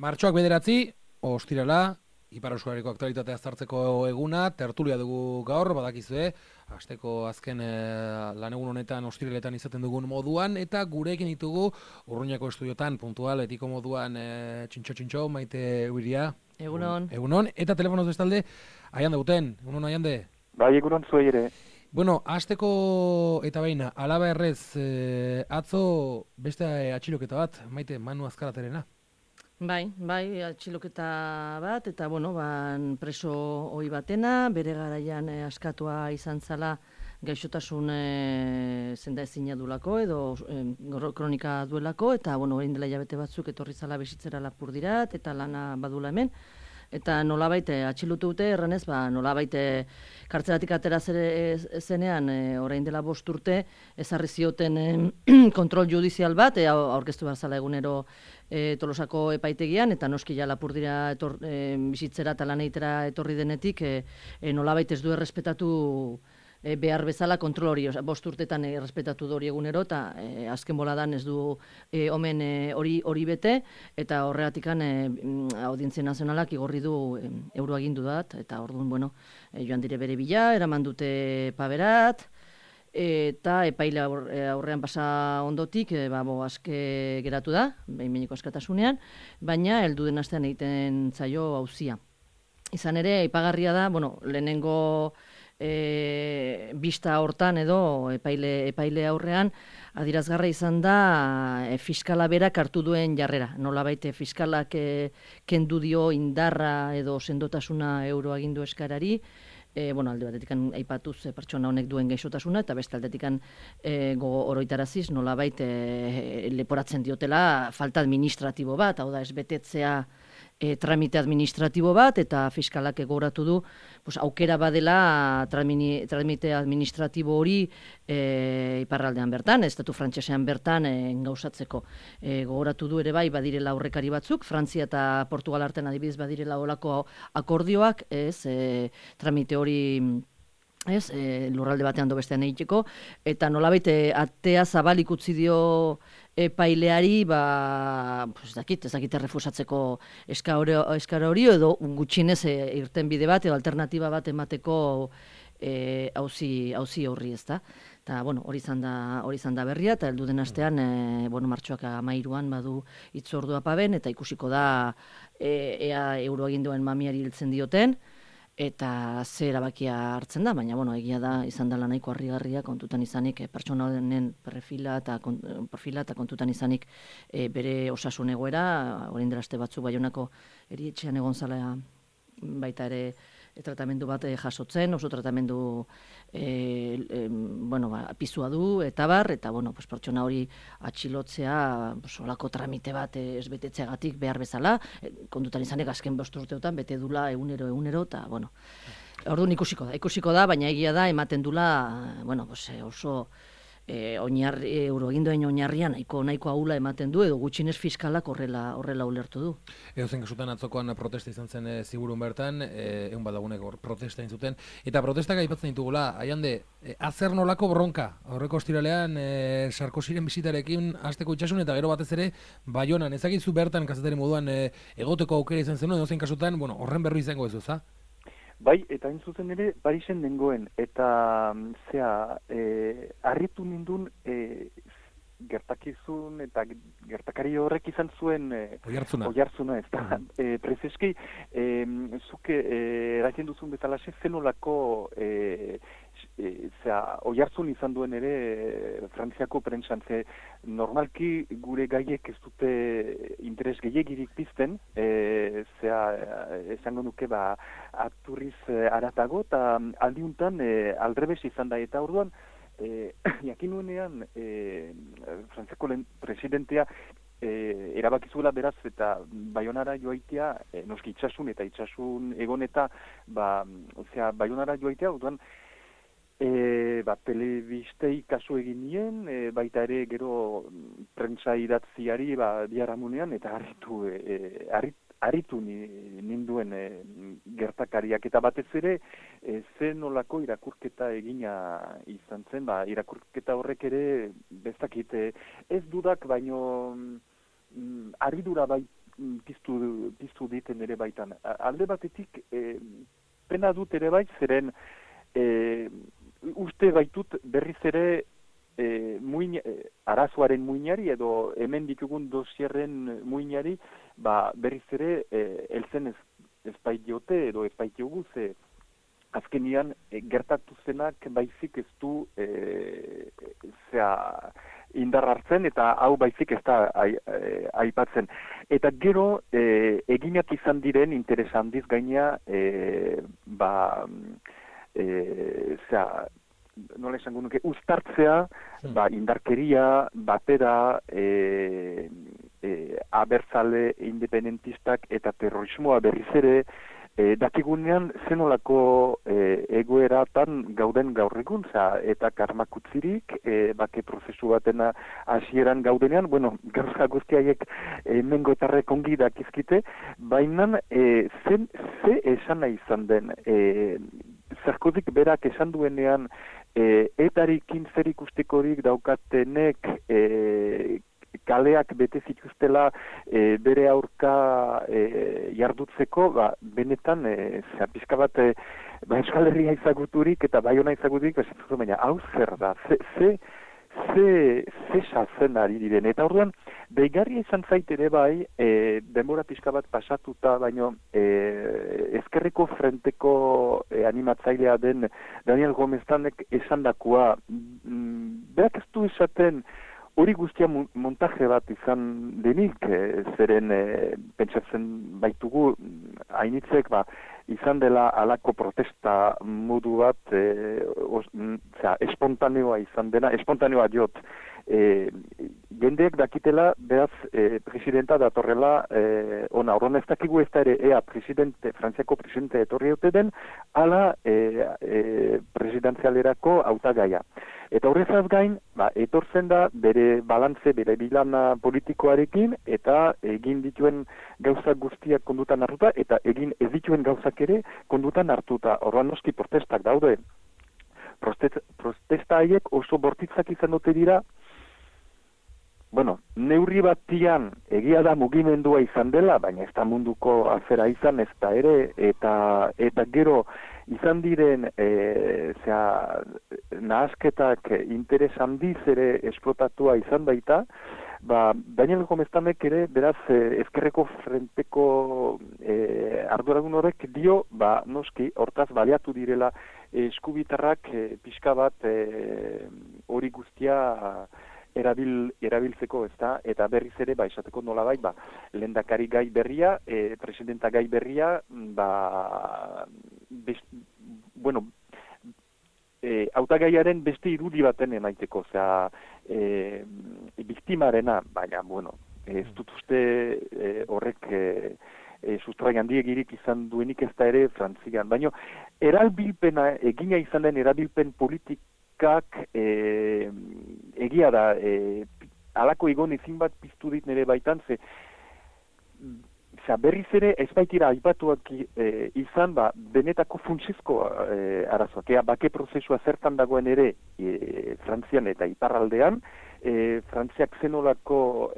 Martxoak 9, ostirala, Ipar Euskarriko aktualitatea aztertzeko eguna, tertulia dugu gaur, badakizue, asteko azken lan egun honetan ostiraletan izaten dugun moduan, eta gurekin ditugu Urruñako estudiotan, puntual, etiko moduan, txintxo, Maite Uiria. Egunon. Egunon, eta telefonoz bestalde, Aiande Guten, egunon Aiande. Bai, egunon zuei ere. Bueno, asteko eta baina, alaba errez, atzo beste atxiloketa bat, Maite, Manu Azkaraterena. Bai, atxiloketa bat, eta preso ohi batena, bere garaian askatua izan zala gaixotasun zenda ezina duelako, edo kronika duelako, eta orain dela hilabete batzuk etorri zala bizitzera Lapurdirat, eta lana badula hemen. Eta nolabait atxilotu dute, erranez, nolabait kartzelatik atera zenean, orain dela 5 urte, ezarri zioten kontrol judizial bat, aurkeztu behar zala egunero Tolosako epaitegian, eta noski ja Lapurdira bizitzera eta lan egitera etorri denetik, nolabait ez du errespetatu behar bezala kontrol hori, 5 urtetan errespetatu du hori egunero, eta azken boladan ez du omen hori bete, eta horregatik Audientzia Nazionalak igorri du euroagindu dat, eta orduan, joan dire bere bila, eraman dute Paberat, eta epaile aurrean pasa ondotik, aske geratu da, behin-behineko askatasunean, baina heldu den astean egiten zaio auzia. Izan ere, aipagarria da, lehenengo bista hortan edo epaile aurrean adierazgarra izan da fiskala berak hartu duen jarrera. Nolabait fiskalak kendu dio indarra edo sendotasuna euroagindu eskarari, alde batetik aipatuz pertsona honek duen gaixotasuna, eta beste aldetik gogo oroitaraziz nolabait leporatzen diotela falta administratibo bat, hau da ez betetzea tramite administratibo bat, eta fiskalak gogoratu du aukera badela tramite administratibo hori iparraldean bertan, estatu frantsesean bertan gauzatzeko. Gogoratu du ere bai badirela aurrekari batzuk, Frantzia eta Portugal artean adibidez badirela olako akordioak, tramite hori lurralde batean do bestean egiteko, eta nolabait atea zabalik utzi dio epaileari, ez dakit errefusatzeko eskara hori, edo gutxinez irten bide bat, edo alternatiba bat emateko auzi horri, ezta. Eta, hori izan da berria, eta heldu den astean, martxoak 13an badu hitzordua Paben, eta ikusiko da ea euroaginduen mamiari hiltzen dioten, eta ze erabakia hartzen da, baina egia da izan dela nahiko harrigarria kontutan izanik pertsona honen perfila eta kontutan izanik bere osasun egoera, orain dela aste batzuk Baionako erietxean egon zala baita ere tratamendu bat jasotzen, oso tratamendu pisua du, eta pertsona hori atxilotzea olako tramite bat ez betetzeagatik behar bezala, kontutan izanek azken 5 urteotan bete dula egunero, eta orduan ikusiko da, baina egia da ematen dula oso euroagindoen oinarrian nahiko ahula ematen du, edo gutxinez fiskalak horrela ulertu du. Edozein kasutan atzokoan protesta izan zen Ziburun bertan, egun badagunek protesta egin zuten, eta protestak aipatzen ditugula, Aiande, azer nolako bronka, aurreko ostiralean Sarkoziren bisitarekin hasteko itxasun, eta gero batez ere Baionan, ezagizu bertan kazetari moduan egoteko aukera izan zenuen, edozein kasutan, horren berri izango ez duza? Bai, eta hain zuzen ere, Parisen nengoen, eta harritu nindun gertakizun eta gertakari horrek izan zuen oihartzuna, ez da. Prezeski, zuke eraiten duzun bezalaxe, zenolako oihartzun izan duen ere Frantziako prentsan, normalki gure gaiek ez dute interes gehiegirik pizten, esango nuke aturriz aratago, eta aldiuntan aldrebes izan da, eta orduan jakin nuenean Frantziako presidentea erabakizuela beraz eta Baionara joaitea, noski itxasun egon eta Baionara joaitea, orduan telebistei kasu egin nien, baita ere gero prentsa idatziari biharamunean, eta harritu ninduen gertakariak, eta batez ere zen nolako irakurketa egina izan zen, irakurketa horrek ere bestakit ez dudak, baino harridura piztu diten ere baitan. Alde batetik, pena dut ere bai, zeren uste baitut berriz ere arazoaren muinari edo hemen ditugun dosierren muinari berriz ere heltzen ez baitiote edo ez baitiogu ze azkenian gertatu zenak baizik ez du indar hartzen eta hau baizik ez da aipatzen. Eta gero eginak izan diren interes handiz gaina nola esango nuke, uztartzea, indarkeria, batera, abertzale independentistak eta terrorismoa berriz ere, dakigunean zenolako egoeratan gauden gaur egun, eta karmakutzirik, bake prozesu batena hasieran gaudenean, gauza guztiaiek mengotarrek ongi dakizkite, baina ze esan nahi izan den, Sarkozik berak esan duenean etarikin zer ikustikorik daukatenek kaleak bete zituztela bere aurka jardutzeko, benetan pixka bat Euskal Herria izaguturik eta Baiona izaguturik, baina hau zer da, ze sazen ari diren. Eta orduan, deigarria izan zait ere bai, denbora pixka bat pasatuta, baino ezkerreko frenteko animatzailea den Daniel Gomeztanek esandakua, berak ez du esaten hori guztia montaje bat izan denik, zeren pentsatzen baitugu hainitzek izan dela alako protesta modu bat, espontaneoa izan dena, espontaneoa diot. Jendeek dakitela, beraz, presidenta datorrela ona. Horren ez dakigu ez da ere, Frantziako presidente etorri haute den, ala presidenzialerako hautagaia. Eta horrezaz gain, etortzen da bere balantze, bere bilana politikoarekin, eta egin dituen gauzak guztiak kondutan hartuta, eta egin ez dituen gauzak ere kondutan hartuta. Horren noski protestak daude. Protesta haiek oso bortitzak izan dute dira, neurri batian egia da mugimendua izan dela, baina ez da munduko afera izan ez da ere, eta gero izan diren nahasketak interes handiz ere esplotatua izan baita, Daniel Gomeztanek ere, beraz, ezkerreko frenteko arduragun horrek dio, noski, hortaz baliatu direla eskubitarrak pixka bat hori guztia erabiltzeko, ezta, eta berriz ere, esateko nolabait, lehendakari gai berria, presidenta gai berria, hautagaiaren beste irudi baten emaiteko, biktimarena, baina, ez dut uste horrek sustrai handiegirik izan duenik ez da ere Frantzian. Baina, erabilpena, egina izan den erabilpen politikak egia da, halako egon ezin bat piztu dit nire baitan, berriz ere ez baitira aipatuak izan, benetako funtsezko arazoak. Bake prozesua zertan dagoen ere Frantzian eta iparraldean, Frantziak zenolako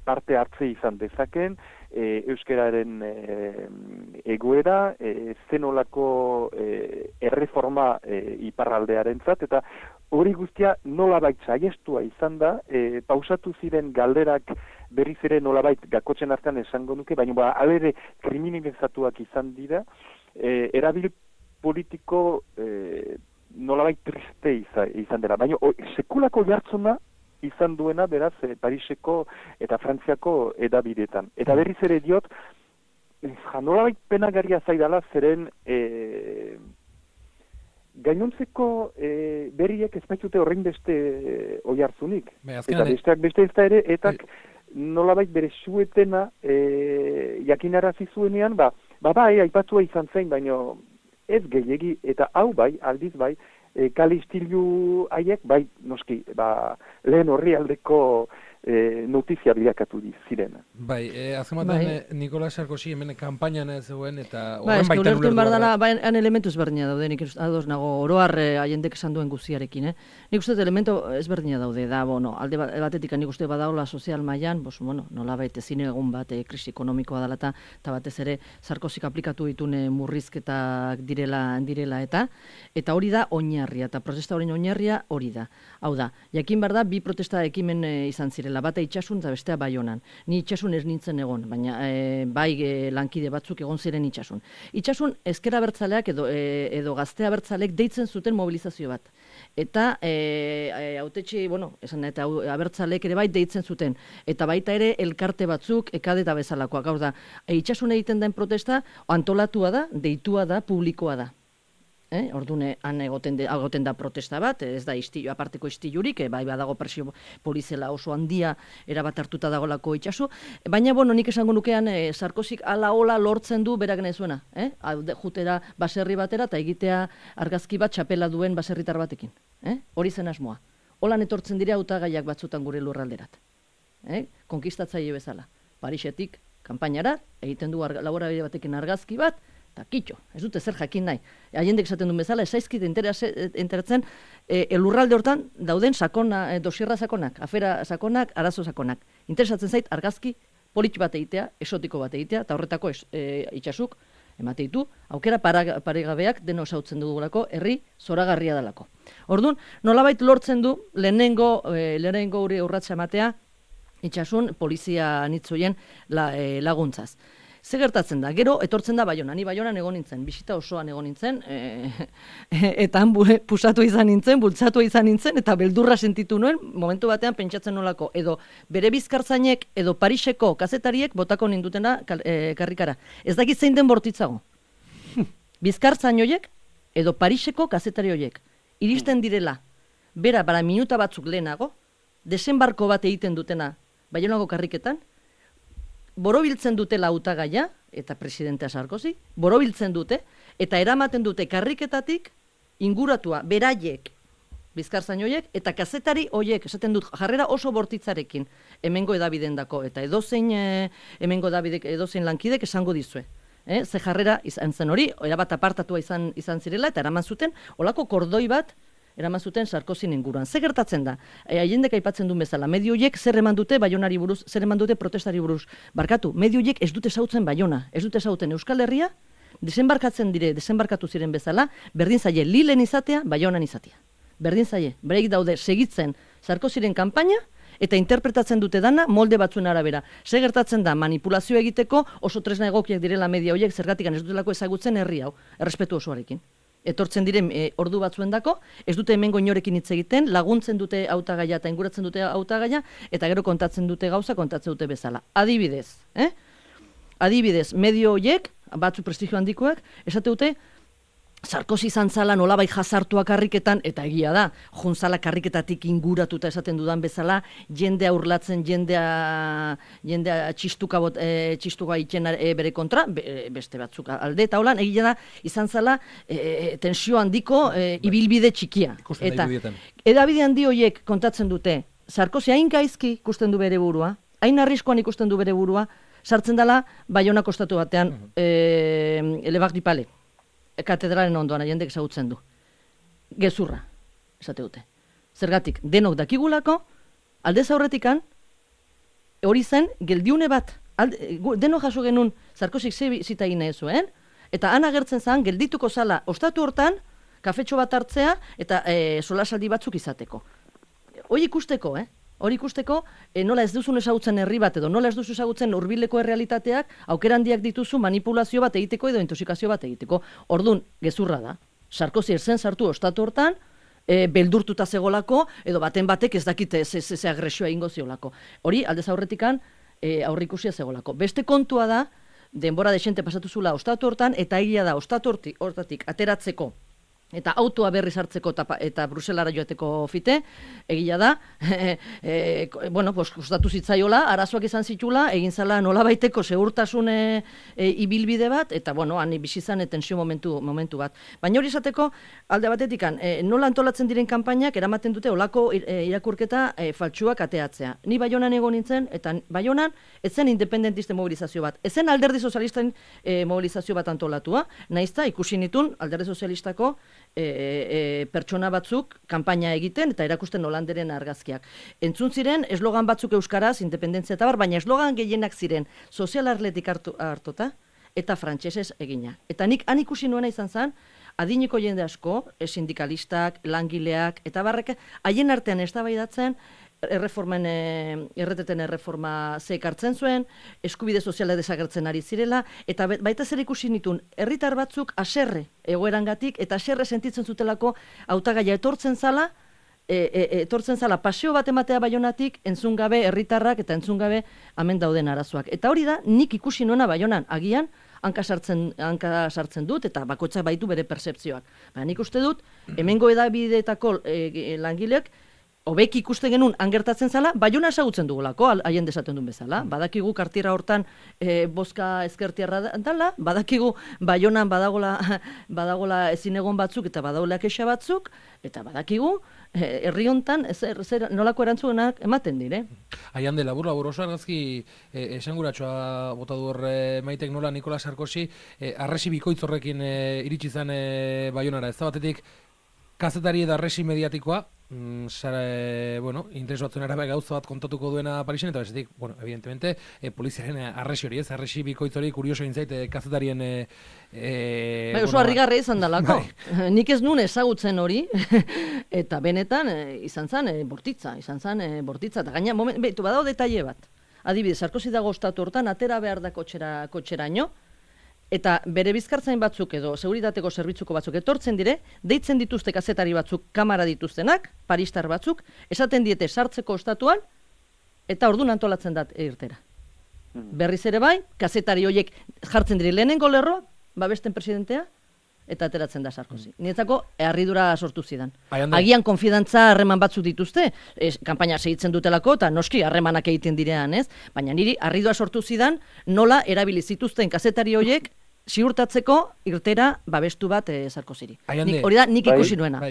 parte hartze izan dezaken, euskararen egoera, zenolako erreforma iparraldearentzat, eta hori guztia nolabait saiestua izan da, pausatu ziren galderak berriz ere nolabait gakotzen artean esango nuke, baina alere kriminalizatuak izan dira, erabil politiko nolabait triste izan dela. Baina sekulako jartzuna izan duena, beraz, Pariseko eta Frantziako edabidetan. Eta berriz ere diot, nolabait penagarria zaidala, zeren gainontzeko berriek ez baitute horrein beste oihartzunik. Eta besteak beste ez da ere, etak nolabait bere suetena jakinarazi zuenean, aipatua izan zen, baino ez gehiegi, eta hau aldiz kalistilu haiek, noski, lehen horri aldeko notizia bilakatu ziren. Bai, azken batean Nicolas Sarkozy hemen kanpainan zegoen eta horren baitan ulertu behar dela, han elementu ezberdina daude, nik ados nago oroar haiendek esan duen guztiarekin, Nik uste elementu ezberdina daude, da, alde batetik nik uste badaola sozial mailan, nolabait ezin egun bat krisi ekonomikoa dela eta batez ere Sarkozyk aplikatu ditune murrizketak direla eta hori da oinarria, eta protesta horien oinarria hori da. Hau da, jakin behar da, bi protesta ekimen izan zirela, bata Itsasun eta bestea Baionan. Ni Itsasun ez nintzen egon, baina bai lankide batzuk egon ziren Itsasun. Itsasun ezker abertzaleak edo gazte abertzaleek deitzen zuten mobilizazio bat. Eta hautetxe, eta abertzaleek ere bai deitzen zuten. Eta baita ere elkarte batzuk, ekade eta bezalakoak. Hau da, Itsasun egiten den protesta antolatua da, deitua da, publikoa da. Ordune han egoten da protesta bat, ez da aparteko istilurik, bai badago presio polizela oso handia erabat hartuta dagolako Itsasu, baina nik esango nukean Sarkozyk ala lortzen du berak nezuena, jutera baserri batera eta egitea argazki bat txapela duen baserritar batekin, hori zen asmoa. Holan etortzen dira hautagaiak batzutan gure lurralderat, konkistatzaile bezala, Parisetik kanpainara egiten du laborabide batekin argazki bat, eta kitxo, ez dute zer jakin nahi. Haiendek esaten duen bezala, ez zaizkit enteratzen lurralde hortan dauden dosierra sakonak, afera sakonak, arazo sakonak. Interesatzen zait argazki polit bat egitea, esotiko bat egitea, eta horretako Itsasuk emate ditu, aukera paregabeak deno esautzen dugulako, herri zoragarria dalako. Orduan, nolabait lortzen du lehenengo hori urratsa ematea Itsasun polizia anitzoien laguntzaz. Ze gertatzen da, gero etortzen da Baionan, ni Baionan egon nintzen, bisita osoan egon nintzen, eta han pusatu izan nintzen, bultzatu izan nintzen, eta beldurra sentitu nuen, momentu batean pentsatzen nolako, edo bere bizkartzainek, edo Pariseko kazetariek botako nindutena karrikara. Ez dakit zein den bortitzago. Bizkartzain horiek, edo Pariseko kazetari horiek, iristen direla, bera, bara minuta batzuk lehenago, desembarko bat egiten dutena, Baionako karriketan, borobiltzen dutela hautagaia eta presidentea Sarkozy, borobiltzen dute, eta eramaten dute karriketatik inguratua, beraiek, bizkartzain horiek, eta kazetari horiek, esaten dut, jarrera oso bortitzarekin, hemengo edabidendako, eta edozein hemengo edabidek, edozein lankidek esango dizue. Ze jarrera izan zen hori, erabat apartatua izan zirela, eta eraman zuten, olako kordoi bat, eraman zuten Sarkozyn inguruan. Ze gertatzen da? Haiendek aipatzen duen bezala, medio horiek zer eman dute Baionari buruz, zer eman dute protestari buruz. Barkatu, medio horiek ez dute zautzen Baiona, ez dute zautzen Euskal Herria, desembarkatu ziren bezala, berdin zaie Lilen izatea, Baionan izatea. Berdin zaie, bereik daude segitzen Sarkozyren kanpaina, eta interpretatzen dute dana molde batzuen arabera. Ze gertatzen da, manipulazio egiteko oso tresna egokiak direla media horiek, zergatik ez dutelako ezagutzen herri hau, errespetu osoarekin. Etortzen diren ordu batzuendako, ez dute hemengo inorekin hitz egiten, laguntzen dute hautagaia eta inguratzen dute hautagaia, eta gero kontatzen dute gauza, kontatzen dute bezala. Adibidez, medio horiek, batzu prestigio handikoak, esate dute, Sarkozy izan zala nolabait jazartua karriketan, eta egia da, juntzala karriketatik inguratuta esaten dudan bezala, jendea urlatzen, jendea txistuka itxen bere kontra, beste batzuk alde, eta holan, egia da, izan zala tensio handiko ibilbide txikia. Eta edabide handi horiek kontatzen dute, Sarkozy hain gaizki ikusten du bere burua, hain arriskoan ikusten du bere burua, sartzen dela Baionak ostatu batean, Elebak Dipale. Katedralen ondoan jendek ezagutzen du. Gezurra, esate dute. Zergatik, denok dakigulako, aldez aurretikan, hori zen, geldiune bat, denok jaso genuen Sarkozyk ze zita egin nahi zuen, eta han agertzen zen, geldituko zala, ostatu hortan, kafetxo bat hartzea, eta solasaldi batzuk izateko. Hori ikusteko, Hori ikusteko, nola ez duzun ezagutzen herri bat edo nola ez duzu ezagutzen hurbileko errealitateak, aukera handiak dituzu manipulazio bat egiteko edo intoxikazio bat egiteko. Ordun gezurra da. Sarkozy zen sartu ostatu hortan, beldurtuta zegolako, edo baten batek ez dakite ze agresioa egingo ziolako. Hori aldez aurretikan aurrikusia zegolako. Beste kontua da, denbora desente pasatu zula ostatu hortan, eta egia da ostatu hortatik ateratzeko eta autoa berriz hartzeko eta Bruselara joateko fite, egia da, kostatu zitzaiola, arazoak izan zitula, egin zala nolabaiteko segurtasun ibilbide bat, eta, han bizizan tensio momentu bat. Baina hori esateko, alde batetik, nola antolatzen diren kanpainak eramaten dute olako irakurketa faltsuak ateatzea. Ni Baionan egon nintzen, eta Baionan ezen independentisten mobilizazio bat, ezen alderdi sozialisten mobilizazio bat antolatua, naizta ikusi nitun alderdi sozialistako pertsona batzuk kanpaina egiten eta erakusten holanderen argazkiak. Entzun ziren eslogan batzuk euskaraz, independentzia eta bar, baina eslogan gehienak ziren sozialarletik hartuta eta frantsesez egina. Eta nik han ikusi nuena izan zen, adineko jende asko, sindikalistak, langileak, eta barrek, haien artean eztabaidatzen, erreteten erreforma zekartzen zuen, eskubide soziala desagertzen ari zirela, eta baita zer ikusi nitun, herritar batzuk haserre egoerangatik, eta haserre sentitzen zutelako hautagaia etortzen zala paseo bat ematea Baionatik, entzun gabe herritarrak eta entzun gabe hemen dauden arazoak. Eta hori da, nik ikusi nuena Baionan, agian, hanka sartzen dut, eta bakoitzak baitu bere pertzepzioak. Nik uste dut, hemengo edabideetako langileek, hobeki ikusten genuen angertatzen zala, Baiona esagutzen dugulako, haien desaten duen bezala. Badakigu kartira hortan bozka ezkertiarra dala, badakigu Baionan badagola ezin egon batzuk eta badagola kexa batzuk, eta badakigu herri hontan nolako erantzunak ematen dire. Haian de labur oso argazki esanguratxoa bota du hor Maitek nola Nikola Sarkozy arresi bikoitz horrekin iritsi zen Baionara. Ez da batetik kazetari eta arresi mediatikoa, interes batzuen arabe gauza bat kontatuko duena Parisen, eta bezetik, evidentemente, poliziaren arresi hori, arresi bikoitz hori kurioso egin zait kazetarien... oso harrigarria izan dalako. Nik ez nuen ezagutzen hori, eta benetan izan zen bortitza, eta gaina, badao detaile bat. Adibidez, Sarkozy dago ostatu hortan, atera behar da kotxeraino, eta bere bizkartzain batzuk edo seguritateko zerbitzuko batzuk etortzen dire, deitzen dituzte kazetari batzuk, kamara dituztenak, paristar batzuk, esaten diete sartzeko ostatuan, eta orduan antolatzen dat irtera. Berriz ere bai, kazetari horiek jartzen dire lehenengo lerroa, babesten presidentea, eta ateratzen da Sarkozy. Nietzako, harridura sortu zidan. Agian konfidantza harreman batzuk dituzte, kanpaina segitzen dutelako, eta noski harremanak egiten direan, ez? Baina niri harridura sortu zidan, nola erabili zituzten kazetari horiek, ziurtatzeko irtera babestu bat Sarkozyri. Hori da, nik ikusi nuena.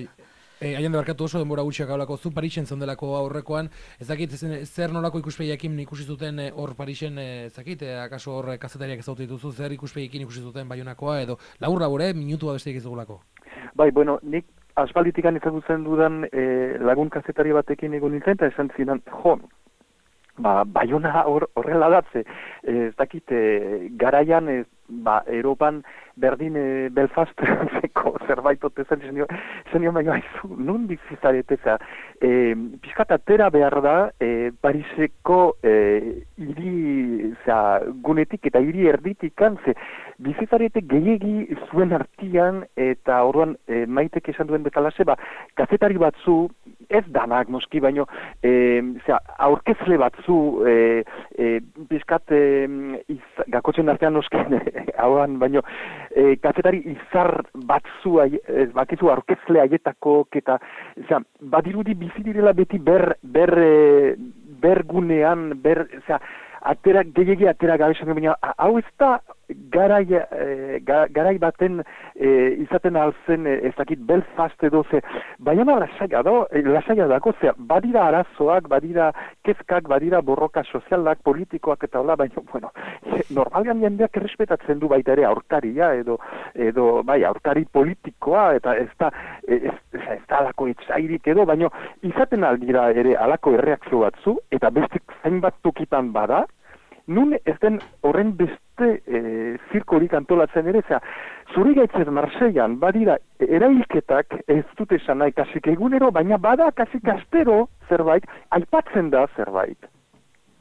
Haien debarkatu oso denbora gutxiak haulako zu Parisen zondelako aurrekoan, ez dakit zer nolako ikuspegiakin ikusi zuten hor Parisen, ez dakit, akaso hor kazetariak ezautu dituzu, zer ikuspegiakin ikusi zuten Baionakoa, edo labur-labur, minutua besteik ez dugulako. Nik aspalditikan ezagutzen dudan lagun kazetari batekin egon nintzen, eta esan zidan, Baiona horrela datze, ez dakit, garaian, Europan berdin Belfasteko zerbait otezen, zenio baino haizu, nun bizizarete, pixkat atera behar da Pariseko gunetik eta hiri erditikan, bizizarete gehiegi zuen artian, eta orduan Maitek esan duen betalase, kazetari batzu, ez danak noski, baino aurkezle batzu, pixkat gakotzen artean noski, hauan, baino, kazetari izar batzu, bakizu aurkezle haietako, eta, badirudi bizi direla beti bergunean, gehiagi atera gabe esan, baina, hau ez da garai baten izaten alzen, ez dakit, Belfast edo, Baiona lasaia dako, badira arazoak, badira kezkak, badira borroka sozialak, politikoak eta hola, baina, normalean jendeak errespetatzen du baita ere aurkaria, edo aurkari politikoa, eta ez da alako etxairik edo, baina izaten aldira ere alako erreakzio batzu, eta bestek zainbat tokitan bada, nun ez den horren beste zirkorik antolatzen ere, zuri gaitzez Marseillan badira erailketak ez dut esan nahi kasik egunero, baina bada kasik astero zerbait, aipatzen da zerbait.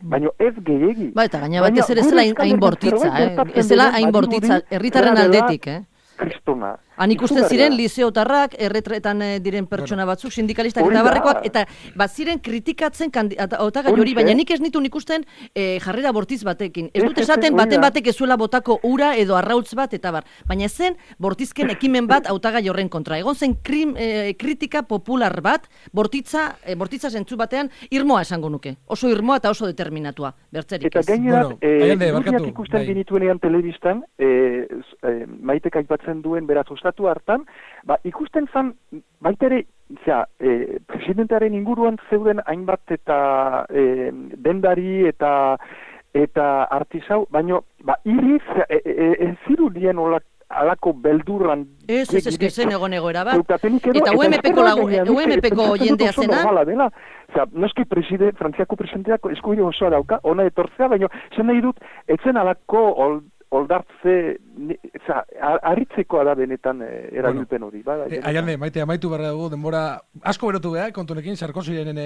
Baina ez gehiegi. Eta gaina batez ere ez zela hain bortitza, ez zela hain bortitza, herritarren aldetik, Kristona. Han ikusten ziren liseotarrak, erretretan diren pertsona batzuk, sindikalistak eta barrekoak, eta ziren kritikatzen hautagai hori, baina nik ez nituen ikusten jarrera bortiz batekin. Ez dut esaten baten batek ezuela botako ura edo arrautz bat eta bar. Baina zen bortizken ekimen bat hautagai horren kontra. Egon zen kritika popular bat, bortitza zentzu batean irmoa esango nuke. Oso irmoa eta oso determinatua, bertzerik ez. Eta gainera, ikusten genituenean telebistan, Maitek aipatzen duen beraz ostatu hartan, ikusten zan, baita ere, presidentearen inguruan zeuden hainbat eta dendari eta artisau, baino, iriz, ez zirudien alako beldurran... Ez zen egoera bat. Eta UMP-ko jendea zena... Noski Frantziako presidenteak eskubide osoa dauka, ona etortzea, baina zen nahi dut, etzen alako oldartze, harritzekoa da benetan erabilpen hori. Aiarne, Maite, amaitu barra dugu, denbora asko berotu beha, kontunekin, Sarkozyren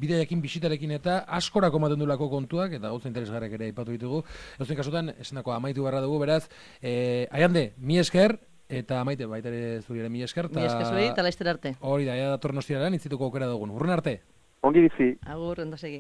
bidearekin, bisitarekin eta askorako ematen duelako kontuak, eta gauza interesgarrek ere aipatu ditugu. Eusten kasutan, esenako amaitu barra dugu, beraz, Aiarne, mi esker, eta Maite, baita ere zuriaren mi esker. Mi esker zuri, eta laizter arte. Hori da, datorren ostiarean, itzituko aukera dugun. Urren arte. Ongi bizi. Agur, ondo segi.